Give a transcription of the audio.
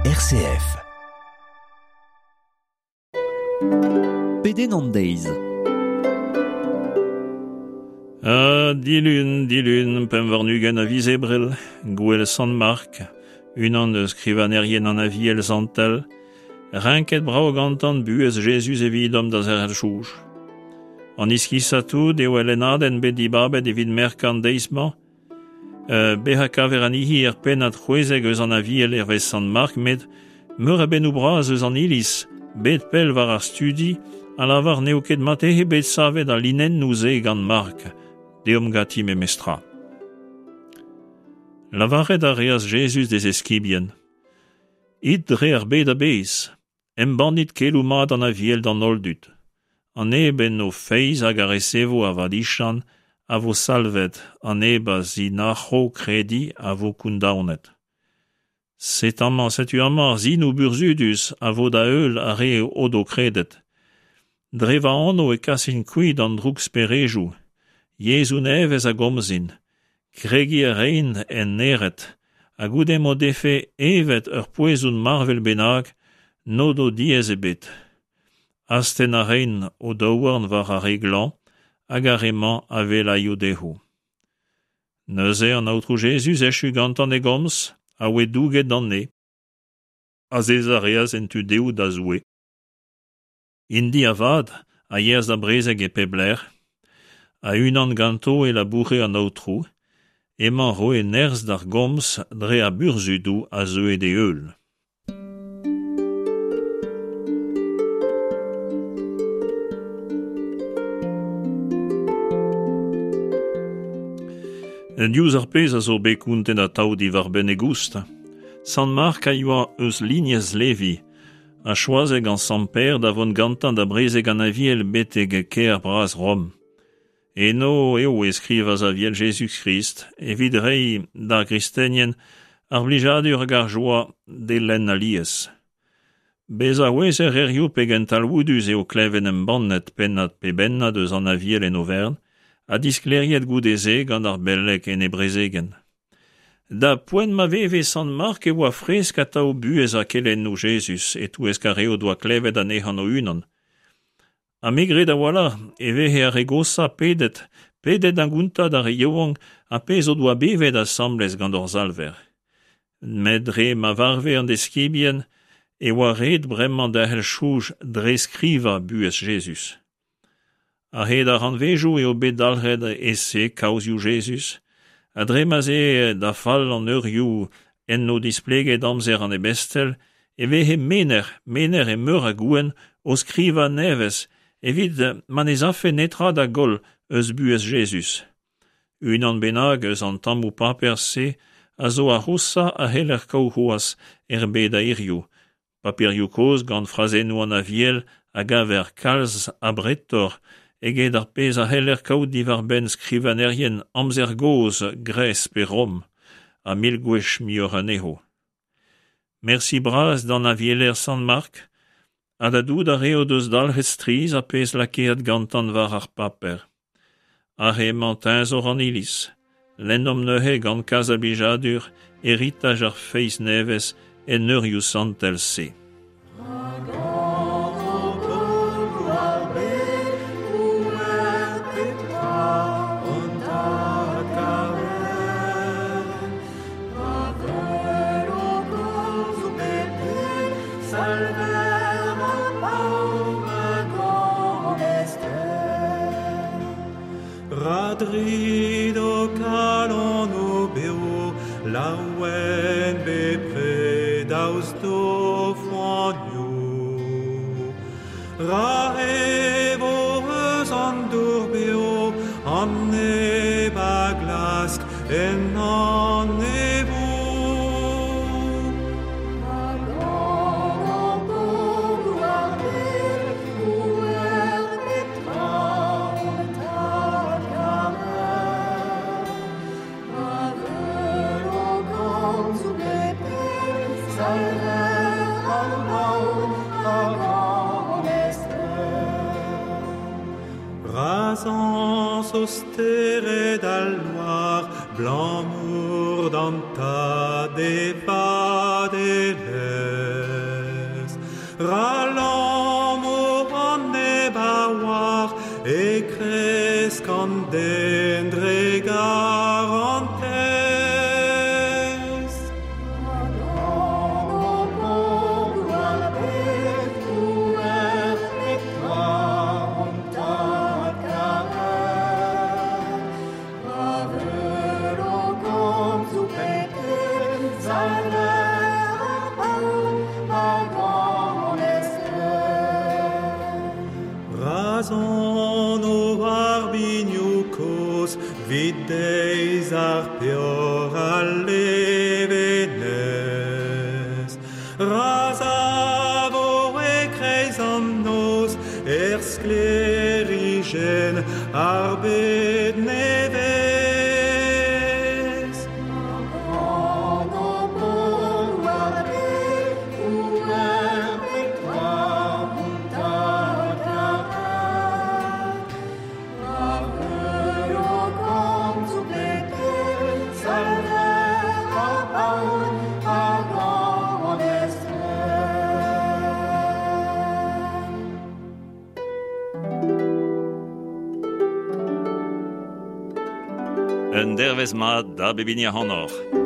RCF. Pedenn an deiz. Ha dilun, dilun, 25 a viz Ebrel, gouel Sant Mark, unan eus skrivagnerien an Aviel Santel, renket brav gantan buhez Jezuz evidomp da zerc'hel soñj. An iskisañ tout eo al lennadenn bet dibabet evit merkañ an deiz-mañ. Bezañ kaver anezhi er pennad 16 eus an Aviel hervez Sant Mark, met meur a bennoù bras eus an Iliz, bet pell war ar studi, a lavar n'eo ket marteze bet savet al linennoù-se gant Mark. Deomp ganti memestra. Lavaret a reas Jezuz d'e zeskibien: It dre ar bed a-bezh, embannit keloù mat an Aviel d'an holl dud. An neb en o feiz hag a resevo ar vadiziant a vo salvet, an neb a zinac'ho krediñ a vo kondaonet. Set' amañ, setu amañ ar sinoù burzhudus a vo da heul ar re o do kredet. Dre va anv e kasin kuit an drouksperejoù, yezhoù nevez a gomzin, kregiñ a raint en naered, ha goude m'o defe evet ur poezon marvel bennak n'o do diaes ebet. Astenn a raint o daouarn war ar re glañv hag ar re-mañ a wellaio dezho. Neuze an Aotrou Jezuz, echu gantañ e gomz, a oe douget d'an neñv. Azezañ a reas en tu dehou da Zoue. Int-i avat a yeas da brezeg e pep lec'h. A-unan ganto e laboure an Aotrou, hemañ 'roe nerzh d'ar gomz dre ar burzhudoù a zeue d'e heul. Diouzh ar pezh a zo bet kontet atav diwar-benn e goust, Sant Mark a yoa eus lignez Levi, ha choazet gant Sant Pêr da vont gantañ da brezeg an Aviel betek kêr bras Rom. Eno eo e skrivas Aviel Jezuz-Krist evit reiñ d'ar gristenien ar blijadur hag ar joa d'e lenn alies. Bezañ 'ouezer hiziv pegen talvoudus eo klevet embannet pennad pe bennad eus an Aviel en overn ha disklêriet goude-se gant ar beleg en e brezegenn. Da poent ma veve Sant Mark e oa fresk atav buhez ha kelennoù Jezuz e-touesk ar re o doa klevet anezhañ o-unan. Ha me 'gred a-walc'h e vehe ar re goshañ pedet, pedet da gontañ d'ar re yaouank ar pezh o doa bevet asambles gant hor Salver. Met dre ma varve an deskibien e oa ret bremañ derc'hel soñj dre skrivañ buhez Jezuz. A-hed ar rannvezioù eo bet dalc'het e-se kaozioù Jezuz, ha dre ma'z eo da fall an eurioù enno displeget amzer an ebestel e veze menec'h, menec'h e meur a gouent o skrivañ nevez evit ma ne z'afe netra da goll eus buhez Jezuz. Unan bennak eus an tammoù paper-se a zo ar c'hoshañ a c'heller kaout c'hoazh er bed a hiziv, Paperioù kozh gant frazennoù an Aviel a gaver kalz abretoc'h eget ar pezh a c'heller kaout diwar-benn skrivagnerien amzer gozh Gres pe Rom, ha mil gwech muioc'h anezho. Mersi bras d'an avieler Sant Mark ha da dout ar re o deus dalc'het strizh ar pezh lakaet gantan war ar paper. Aze emañ teñzor an iliz. Lennomp neuze gant kalz a blijadur heritaj ar feiz nevez en eurioù santel-se. Ra drido kalon o bev, laouen bepred daoust d'o foanioù. Ra evo eus an dour bev, an neb a glask ennañ evo. Ra zañso stered al loar, 'Blamour d'an Tad e vadelezh. Ra lammo an neb a oar e kresk an den dre garantez. Ra sono ar binioù kozh 'vit deiz ar peoc'h al levenez. Ra savo e-kreiz an noz er sklêrijenn ar bed nevez. Un dervezh mat da bep hini ac'hanoc'h.